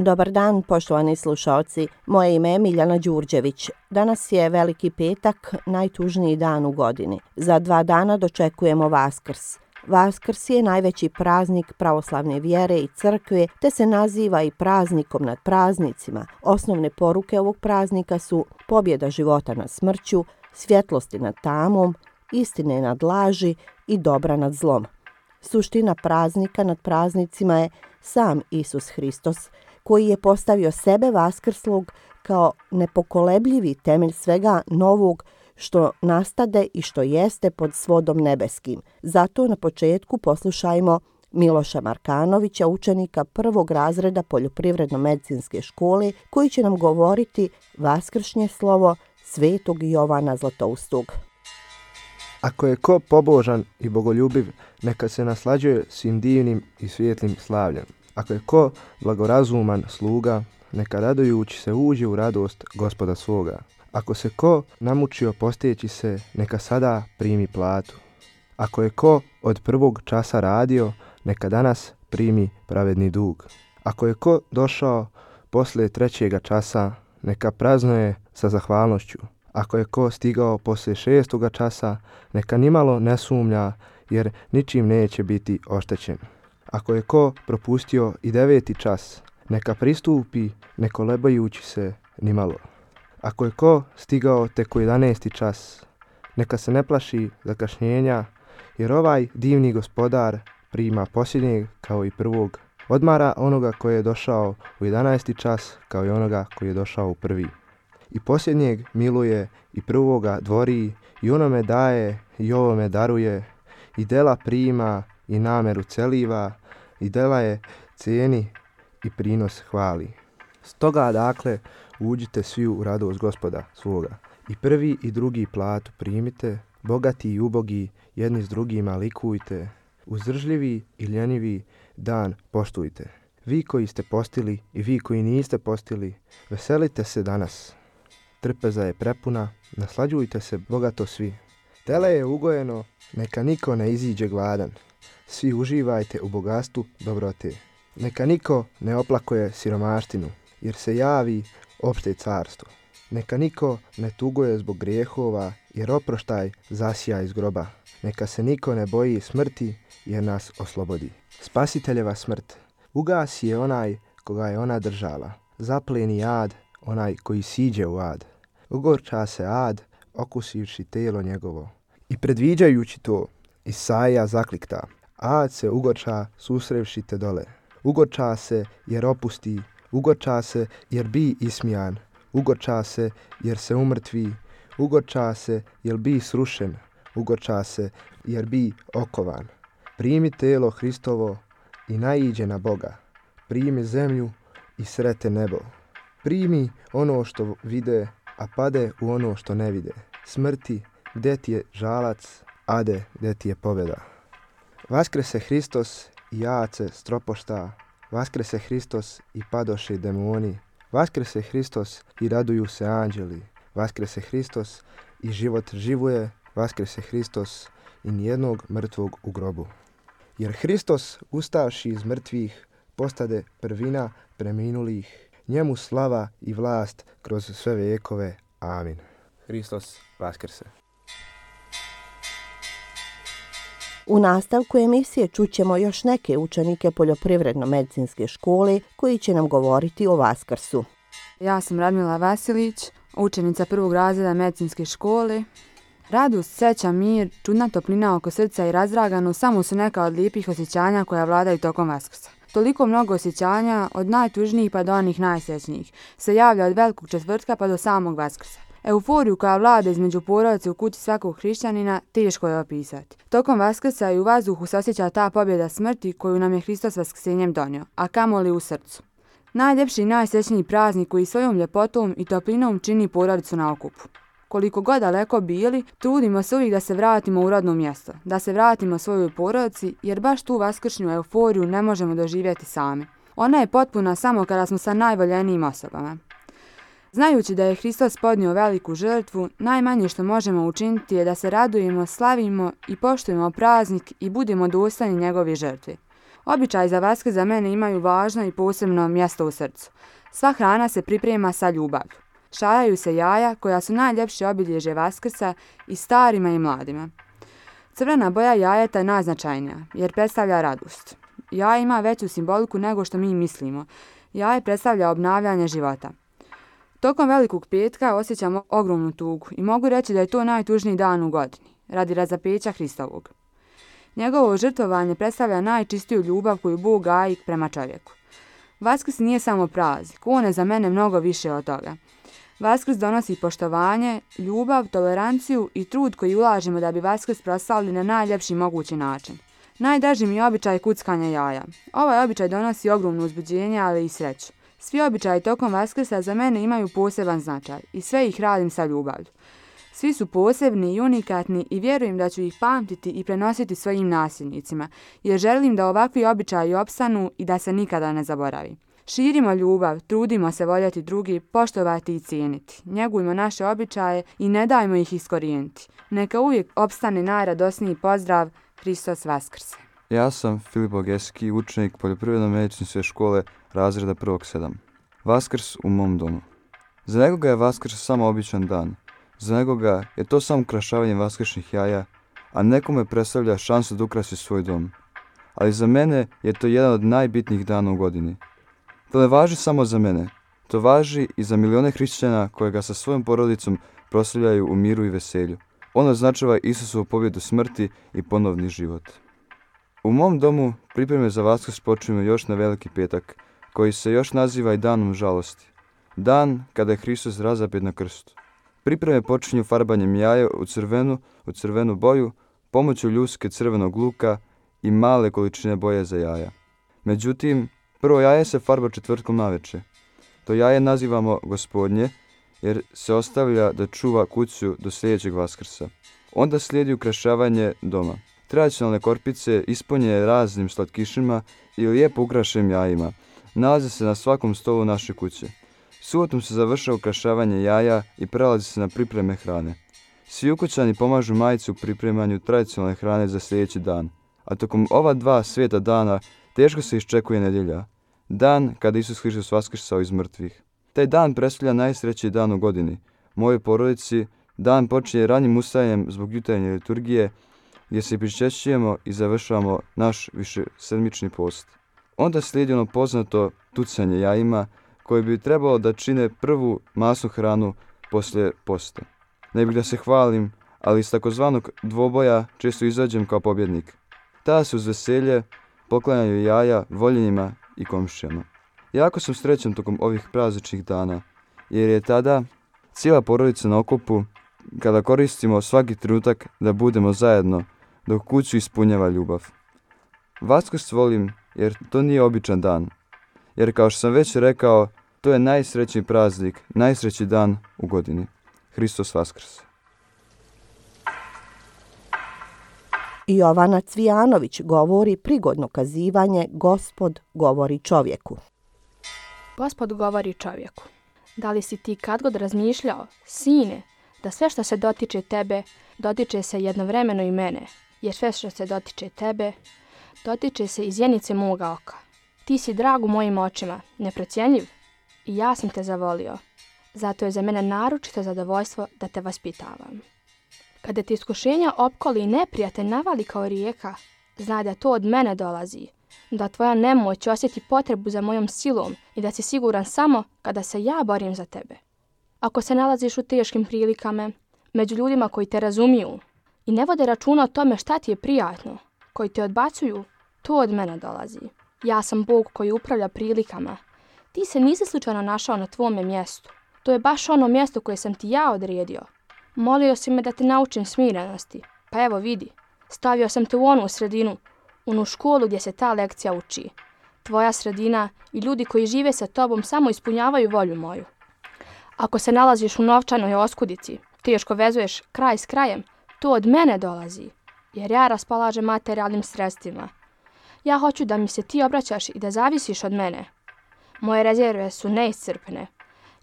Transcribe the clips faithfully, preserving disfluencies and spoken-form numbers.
Dobar dan, poštovani slušaoci. Moje ime je Miljana Đurđević. Danas je Veliki petak, najtužniji dan u godini. Za dva dana dočekujemo Vaskrs. Vaskrs je najveći praznik pravoslavne vjere i crkve, te se naziva i praznikom nad praznicima. Osnovne poruke ovog praznika su pobjeda života nad smrću, svjetlosti nad tamom, istine nad laži i dobra nad zlom. Suština praznika nad praznicima je sam Isus Hristos, koji je postavio sebe vaskrslog kao nepokolebljivi temelj svega novog što nastade i što jeste pod svodom nebeskim. Zato na početku poslušajmo Miloša Markanovića, učenika prvog razreda Poljoprivredno-medicinske škole, koji će nam govoriti vaskršnje slovo Svetog Jovana Zlatoustog. Ako je ko pobožan i bogoljubiv, neka se naslađuje svim divnim i svijetlim slavljem. Ako je ko blagorazuman sluga, neka radujući se uđe u radost Gospoda svoga. Ako se ko namučio posteći se, neka sada primi platu. Ako je ko od prvog časa radio, neka danas primi pravedni dug. Ako je ko došao poslije trećega časa, neka praznuje sa zahvalnošću. Ako je ko stigao poslije šestoga časa, neka nimalo ne sumnja, jer ničim neće biti oštećen. Ako je ko propustio i deveti čas, neka pristupi ne kolebajući se nimalo. Ako je ko stigao tek u jedanaesti čas, neka se ne plaši zakašnjenja, jer ovaj divni gospodar prima posljednjeg kao i prvog. Odmara onoga koji je došao u jedanaesti čas kao i onoga koji je došao u prvi. I posljednjeg miluje i prvoga dvori i onome daje i ovome daruje i dela prima i nameru celiva i dela je cijeni i prinos hvali. Stoga dakle uđite svi u radost Gospoda svoga. I prvi i drugi platu primite, bogati i ubogi jedni s drugima likujte, uzdržljivi i ljenivi dan poštujte. Vi koji ste postili i vi koji niste postili, veselite se danas. Trpeza je prepuna, naslađujte se bogato svi. Tele je ugojeno, neka niko ne iziđe gladan. Svi uživajte u bogatstvu dobrote. Neka niko ne oplakuje siromaštinu, jer se javi opšte carstvo. Neka niko ne tuguje zbog grijehova, jer oproštaj zasija iz groba. Neka se niko ne boji smrti, jer nas oslobodi. Spasiteljeva smrt, ugasi je onaj koga je ona držala. Zapleni ad onaj koji siđe u ad. Ugorča se ad, okusivši telo njegovo. I predviđajući to, Isaija zaklikta. Ad se ugorča susrevši te dole. Ugorča se jer opusti, ugorča se jer bi ismijan, ugorča se jer se umrtvi, ugorča se jer bi srušen, ugorča se jer bi okovan. Primi telo Hristovo i naiđe na Boga. Primi zemlju i srete nebo. Primi ono što vide, a pade u ono što ne vide. Smrti, gdje ti je žalac, ade, gdje ti je pobjeda. Vaskrese Hristos i jace stropošta, vaskrese Hristos i padoše demoni, vaskrese Hristos i raduju se anđeli, vaskrese Hristos i život živoje, vaskrese Hristos i nijednog mrtvog u grobu. Jer Hristos, ustavši iz mrtvih, postade prvina preminulih, njemu slava i vlast kroz sve vekove. Amin. Hristos vaskrse. U nastavku emisije čućemo još neke učenike Poljoprivredno-medicinske škole koji će nam govoriti o Vaskrsu. Ja sam Radmila Vasilić, učenica prvog razreda medicinske škole. Radost, sreća, mir, čudna toplina oko srca i razdragano samo su neka od lijepih osjećanja koja vladaju tokom Vaskrsa. Toliko mnogo osjećanja, od najtužnijih pa do onih najsrećnijih, se javlja od velikog četvrtka pa do samog Vaskrsa. Euforiju koja vlada između porodice u kući svakog hrišćanina teško je opisati. Tokom Vaskrsa i u vazduhu se osjeća ta pobjeda smrti koju nam je Hristos vaskrsenjem donio, a kamoli u srcu. Najljepši i najsrećniji praznik koji svojom ljepotom i toplinom čini porodicu na okupu. Koliko god daleko bili, trudimo se uvijek da se vratimo u rodno mjesto, da se vratimo svojoj porodici, jer baš tu vaskršnju euforiju ne možemo doživjeti sami. Ona je potpuna samo kada smo sa najvoljenijim osobama. Znajući da je Hristos podnio veliku žrtvu, najmanje što možemo učiniti je da se radujemo, slavimo i poštujemo praznik i budemo dostojni njegove žrtve. Običaj za Vaskrs za mene imaju važno i posebno mjesto u srcu. Sva hrana se priprema sa ljubavlju. Šajaju se jaja koja su najljepše obilježje Vaskrsa i starima i mladima. Crvena boja jajeta je najznačajnija jer predstavlja radost. Jaje ima veću simboliku nego što mi mislimo. Jaje predstavlja obnavljanje života. Tokom Velikog petka osjećam ogromnu tugu i mogu reći da je to najtužniji dan u godini, radi razapeća Hristovog. Njegovo žrtvovanje predstavlja najčistiju ljubav koju Bog gaji prema čovjeku. Vaskrs nije samo praznik, on je za mene mnogo više od toga. Vaskrs donosi poštovanje, ljubav, toleranciju i trud koji ulažemo da bi Vaskrs proslavili na najljepši mogući način. Najdraži mi je običaj kuckanja jaja. Ovaj običaj donosi ogromno uzbuđenje, ali i sreću. Svi običaji tokom Vaskrsa za mene imaju poseban značaj i sve ih radim sa ljubavlju. Svi su posebni i unikatni i vjerujem da ću ih pamtiti i prenositi svojim nasljednicima, jer želim da ovakvi običaji opstanu i da se nikada ne zaboravi. Širimo ljubav, trudimo se voljeti drugi, poštovati i cijeniti. Njegujmo naše običaje i ne dajmo ih iskorijeniti. Neka uvijek opstane najradosniji pozdrav Hristos Vaskrse. Ja sam Filip Bogeski, učenik Poljoprivredno-medicinske škole razreda prvog sedam. Vaskrs u mom domu. Za nekoga je Vaskrs samo običan dan. Za nekoga je to samo ukrašavanje vaskršnjih jaja, a nekome predstavlja šansu da ukrasi svoj dom. Ali za mene je to jedan od najbitnijih dana u godini. To ne važi samo za mene. To važi i za milione hrišćana koje ga sa svojom porodicom proslavljaju u miru i veselju. On označava Isusovu pobjedu smrti i ponovni život. U mom domu pripreme za Vaskrs počinju još na Veliki petak, koji se još naziva i danom žalosti. Dan kada je Hristos razapet na krstu. Pripreme počinju farbanjem jaja u crvenu, u crvenu boju, pomoću ljuske crvenog luka i male količine boje za jaja. Međutim, prvo jaje se farba četvrtkom naveče. To jaje nazivamo Gospodnje, jer se ostavlja da čuva kuću do sljedećeg Vaskrsa. Onda slijedi ukrašavanje doma. Tradicionalne korpice ispunjene raznim slatkišima i lijepo ukrašenim jajima nalaze se na svakom stolu naše kuće. Subotom se završava ukrašavanje jaja i prelazi se na pripreme hrane. Svi ukućani pomažu majici u pripremanju tradicionalne hrane za sljedeći dan, a tokom ova dva sveta dana teško se iščekuje nedjelja, dan kada Isus Hristos vaskrsao iz mrtvih. Taj dan predstavlja najsrećniji dan u godini. Mojoj porodici dan počinje ranim ustajanjem zbog jutarnje liturgije, gdje se pričešćujemo i završavamo naš višesedmični post. Onda slijedi ono poznato tucanje jajima, koje bi trebalo da čine prvu masnu hranu poslije posta. Ne bih da se hvalim, ali iz takozvanog dvoboja često izađem kao pobjednik. Tada se uz veselje poklanjaju jaja voljenjima i komšijama. Jako sam srećan tokom ovih prazničnih dana, jer je tada cijela porodica na okupu, kada koristimo svaki trenutak da budemo zajedno, dok kuću ispunjava ljubav. Vaskrs volim jer to nije običan dan, jer kao što sam već rekao, to je najsrećniji praznik, najsrećniji dan u godini. Hristos Vaskrs. Jovana Cvijanović govori prigodno kazivanje Gospod govori čovjeku. Gospod govori čovjeku. Da li si ti kad god razmišljao, sine, da sve što se dotiče tebe, dotiče se jednovremeno i mene, jer sve što se dotiče tebe, dotiče se iz zjenice moga oka. Ti si drag u mojim očima, neprocjenjiv, i ja sam te zavolio. Zato je za mene naročito zadovoljstvo da te vaspitavam. Kada ti iskušenja opkoli i neprijatelj navali kao rijeka, znaj da to od mene dolazi, da tvoja nemoć osjeti potrebu za mojom silom i da si siguran samo kada se ja borim za tebe. Ako se nalaziš u teškim prilikama, među ljudima koji te razumiju i ne vode računa o tome šta ti je prijatno, koji te odbacuju, to od mene dolazi. Ja sam Bog koji upravlja prilikama. Ti se nisi slučajno našao na tvome mjestu. To je baš ono mjesto koje sam ti ja odredio. Molio si me da te naučim smirenosti. Pa evo vidi, stavio sam te u onu sredinu, onu školu gdje se ta lekcija uči. Tvoja sredina i ljudi koji žive sa tobom samo ispunjavaju volju moju. Ako se nalaziš u novčanoj oskudici, teško vezuješ kraj s krajem, to od mene dolazi, jer ja raspolažem materijalnim sredstvima. Ja hoću da mi se ti obraćaš i da zavisiš od mene. Moje rezerve su neiscrpne.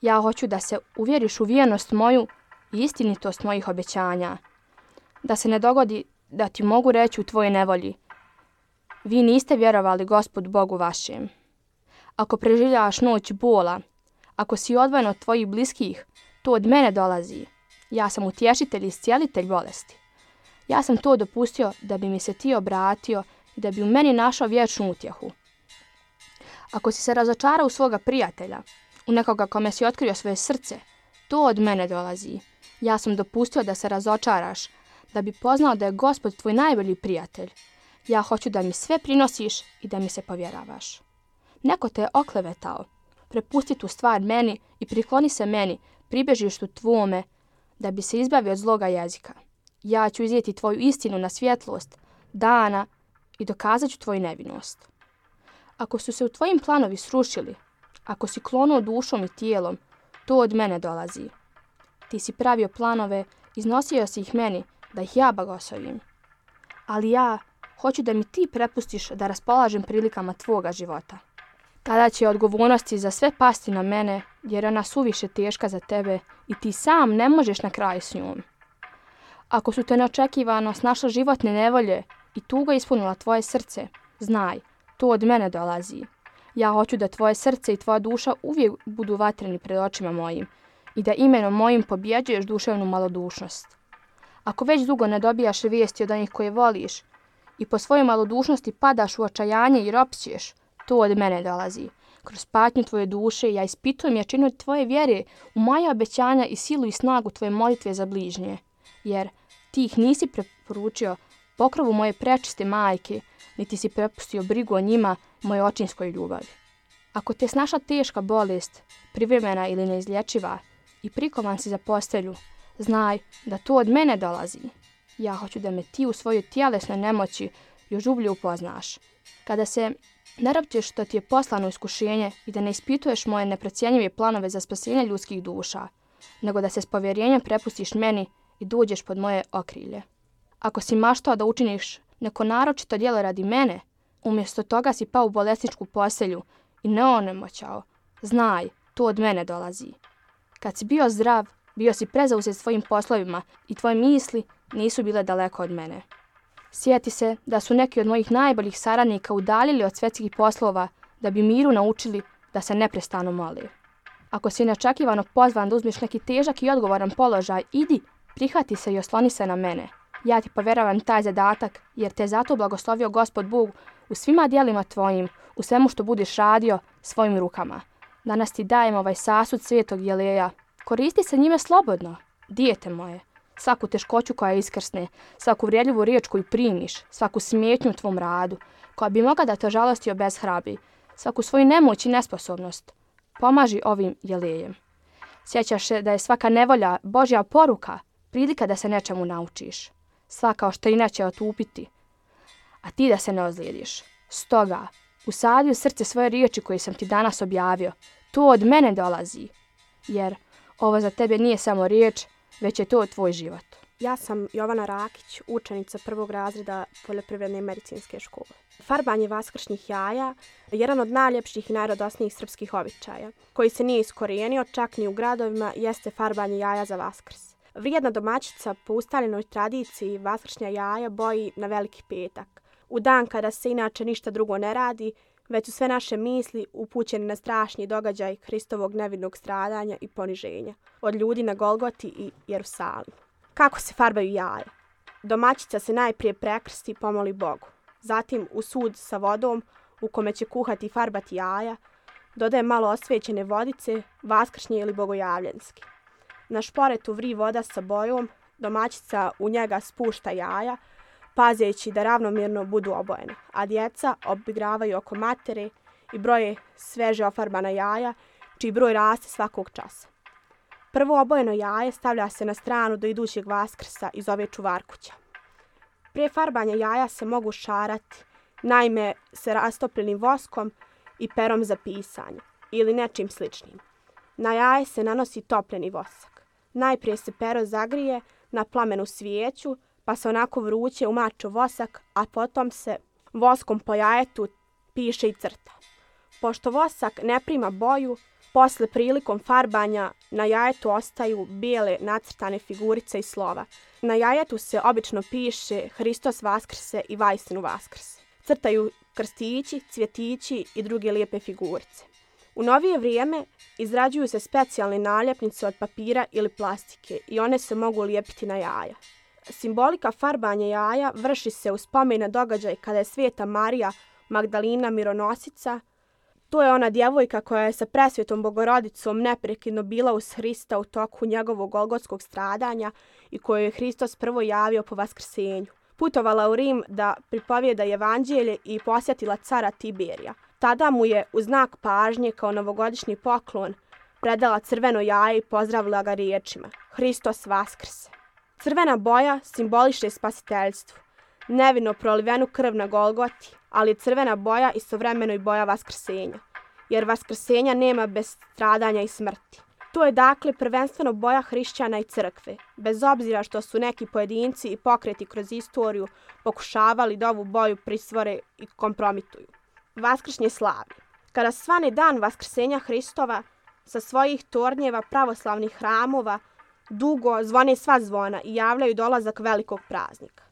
Ja hoću da se uvjeriš u vjernost moju i istinitost mojih obećanja. Da se ne dogodi da ti mogu reći u tvojoj nevolji: vi niste vjerovali Gospodu Bogu vašem. Ako preživljavaš noć bola, ako si odvojen od tvojih bliskih, to od mene dolazi. Ja sam utješitelj i iscijelitelj bolesti. Ja sam to dopustio da bi mi se ti obratio i da bi u meni našao vječnu utjehu. Ako si se razočarao u svoga prijatelja, u nekoga kome si otkrio svoje srce, to od mene dolazi. Ja sam dopustio da se razočaraš, da bi poznao da je Gospod tvoj najbolji prijatelj. Ja hoću da mi sve prinosiš i da mi se povjeravaš. Neko te je oklevetao. Prepusti tu stvar meni i prikloni se meni, pribežištu tvome, da bi se izbavio od zloga jezika. Ja ću iznijeti tvoju istinu na svjetlost dana i dokazat ću tvoju nevinost. Ako su se u tvojim planovi srušili, ako si klonuo dušom i tijelom, to od mene dolazi. Ti si pravio planove, iznosio si ih meni, da ih ja blagoslovim. Ali ja hoću da mi ti prepustiš da raspolažem prilikama tvoga života. Tada će odgovornosti za sve pasti na mene, jer ona suviše teška za tebe i ti sam ne možeš na kraju s njom. Ako su te neočekivano snašle životne nevolje i tuga ispunila tvoje srce, znaj, to od mene dolazi. Ja hoću da tvoje srce i tvoja duša uvijek budu vatreni pred očima mojim i da imenom mojim pobjeđuješ duševnu malodušnost. Ako već dugo ne dobijaš vijesti od onih koje voliš i po svojoj malodušnosti padaš u očajanje i ropćeš, to od mene dolazi. Kroz patnju tvoje duše ja ispitujem jačinu tvoje vjere u moja obećanja i silu i snagu tvoje molitve za bližnje, jer ti ih nisi preporučio pokrovu moje prečiste majke, niti si prepustio brigu o njima moje očinskoj ljubavi. Ako te snaša teška bolest, privremena ili neizlječiva, i prikovan si za postelju, znaj da to od mene dolazi. Ja hoću da me ti u svojoj tjelesnoj nemoći još ublje upoznaš. Kada se ne ropćeš što ti je poslano iskušenje i da ne ispituješ moje neprocjenjive planove za spasenje ljudskih duša, nego da se s povjerenjem prepustiš meni i dođeš pod moje okrilje. Ako si maštao da učiniš neko naročito djelo radi mene, umjesto toga si pao u bolesničku postelju i ne onemoćao, znaj, to od mene dolazi. Kad si bio zdrav, bio si prezauzet svojim poslovima i tvoje misli nisu bile daleko od mene. Sjeti se da su neki od mojih najboljih saradnika udaljili od svjetskih poslova da bi miru naučili da se neprestano mole. Ako si neočekivano pozvan da uzmeš neki težak i odgovoran položaj, idi, prihvati se i osloni se na mene. Ja ti povjeravam taj zadatak jer te zato blagoslovio Gospod Bog u svima djelima tvojim, u svemu što budeš radio svojim rukama. Danas ti dajem ovaj sasud svetog jeleja. Koristi se njime slobodno, dijete moje. Svaku teškoću koja iskrsne, svaku vrijedljivu riječ koju primiš, svaku smetnju u tvom radu, koja bi mogla da te žalosti obeshrabri, svaku svoju nemoć i nesposobnost, pomaži ovim jelejem. Sjećaš se da je svaka nevolja Božja poruka, prilika da se nečemu naučiš. Svaka oštrina će otupiti, a ti da se ne ozlijediš. Stoga, usadi u srce svoje riječi koje sam ti danas objavio. To od mene dolazi, jer ovo za tebe nije samo riječ, već je to tvoj život. Ja sam Jovana Rakić, učenica prvog razreda Poljoprivredne i medicinske škole. Farbanje vaskršnjih jaja je jedan od najljepših i najradosnijih srpskih običaja, koji se nije iskorijenio čak ni u gradovima, jeste farbanje jaja za Vaskrs. Vrijedna domaćica po ustaljenoj tradiciji vaskršnja jaja boji na Veliki petak, u dan kada se inače ništa drugo ne radi, već su sve naše misli upućene na strašni događaj Hristovog nevinog stradanja i poniženja od ljudi na Golgoti i Jerusalimu. Kako se farbaju jaja? Domaćica se najprije prekrsti i pomoli Bogu. Zatim u sud sa vodom u kome će kuhati i farbati jaja, dodaje malo osvećene vodice, vaskršnje ili bogojavljenske. Na šporetu vri voda sa bojom, domaćica u njega spušta jaja, pazeći da ravnomjerno budu obojene, a djeca obigravaju oko matere i broje sveže ofarbana jaja, čiji broj raste svakog časa. Prvo obojeno jaje stavlja se na stranu do idućeg Vaskrsa i zove čuvarkuća. Prije farbanja jaja se mogu šarati, naime se rastopljenim voskom i perom za pisanje ili nečim sličnim. Na jaje se nanosi topljeni vosak. Najprije se pero zagrije na plamenu svijeću, pa se onako vruće umače vosak, a potom se voskom po jajetu piše i crta. Pošto vosak ne prima boju, posle prilikom farbanja na jajetu ostaju bijele nacrtane figurice i slova. Na jajetu se obično piše Hristos Vaskrse i Vajstinu Vaskrse. crtaju krstići, cvjetići i druge lijepe figurice. U novije vrijeme izrađuju se specijalne naljepnice od papira ili plastike i one se mogu lijepiti na jaja. Simbolika farbanja jaja vrši se u spomen na događaj kada je Sveta Marija Magdalina mironosica. To je ona djevojka koja je sa presvetom Bogorodicom neprekidno bila uz Hrista u toku njegovog golgotskog stradanja i koju je Hristos prvo javio po vaskrsenju. Putovala u Rim da pripovijeda evanđelje i posjetila cara Tiberija. Tada mu je u znak pažnje kao novogodišnji poklon predala crveno jaje i pozdravila ga riječima: Hristos vaskrse. Crvena boja simboliše spasiteljstvo, nevino prolivenu krv na Golgoti, ali je crvena boja istovremeno i boja vaskrsenja, jer vaskrsenja nema bez stradanja i smrti. To je dakle prvenstveno boja hrišćana i crkve, bez obzira što su neki pojedinci i pokreti kroz istoriju pokušavali da ovu boju prisvore i kompromituju. Vaskršnje slavlje. Kada svane dan vaskrsenja Hristova, sa svojih tornjeva pravoslavnih hramova dugo zvone sva zvona i javljaju dolazak velikog praznika.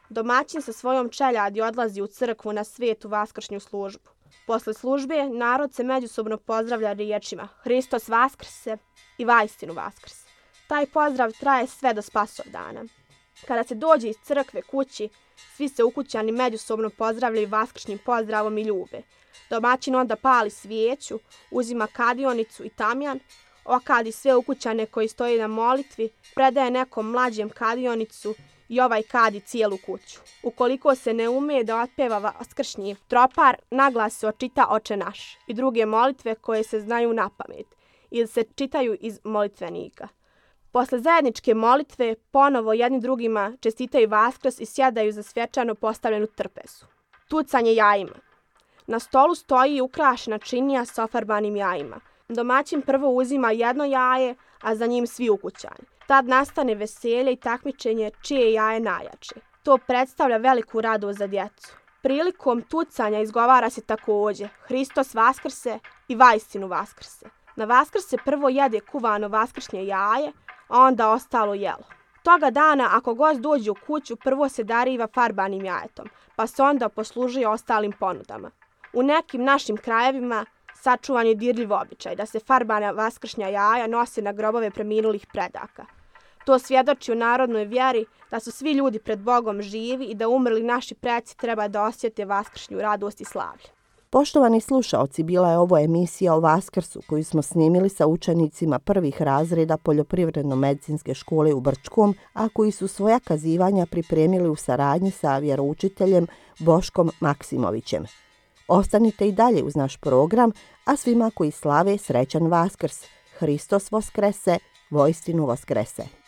Domaćin sa svojom čeljadi odlazi u crkvu na svetu vaskršnju službu. Posle službe narod se međusobno pozdravlja riječima Hristos vaskrse i vaistinu vaskrse. Taj pozdrav traje sve do Spasovdana. Kada se dođe iz crkve kući, svi se ukućani međusobno pozdravljaju vaskršnjim pozdravom i ljube. Domaćin onda pali svijeću, uzima kadionicu i tamjan, okadi sve ukućane koji stoji na molitvi, predaje nekom mlađem kadionicu i ovaj kadi cijelu kuću. Ukoliko se ne umije da otpeva vaskršnji tropar, naglas se očita Oče naš i druge molitve koje se znaju na pamet ili se čitaju iz molitvenika. Posle zajedničke molitve ponovo jedni drugima čestitaju Vaskrs i sjedaju za svečano postavljenu trpezu. Tucanje jajima. Na stolu stoji ukrašena činija sa ofarbanim jajima. Domaćin prvo uzima jedno jaje, a za njim svi ukućani. Tad nastane veselje i takmičenje čije jaje najjače. To predstavlja veliku radost za djecu. Prilikom tucanja izgovara se također Hristos vaskrse i vaistinu vaskrse. Na Vaskrs se prvo jede kuvano vaskršnje jaje, a onda ostalo jelo. Toga dana ako gost dođe u kuću, prvo se dariva farbanim jajetom, pa se onda poslužuje ostalim ponudama. U nekim našim krajevima sačuvan je dirljiv običaj da se farbana vaskršnja jaja nose na grobove preminulih predaka. To svjedoči o narodnoj vjeri da su svi ljudi pred Bogom živi i da umrli naši preci treba da osjete vaskršnju radost i slavlje. Poštovani slušaoci, bila je ovo emisija o Vaskrsu koju smo snimili sa učenicima prvih razreda Poljoprivredno-medicinske škole u Brčkom, a koji su svoja kazivanja pripremili u saradnji sa vjeroučiteljem Boškom Maksimovićem. Ostanite i dalje uz naš program, a svima koji slave srećan Vaskrs. Hristos voskrese, voistinu voskrese.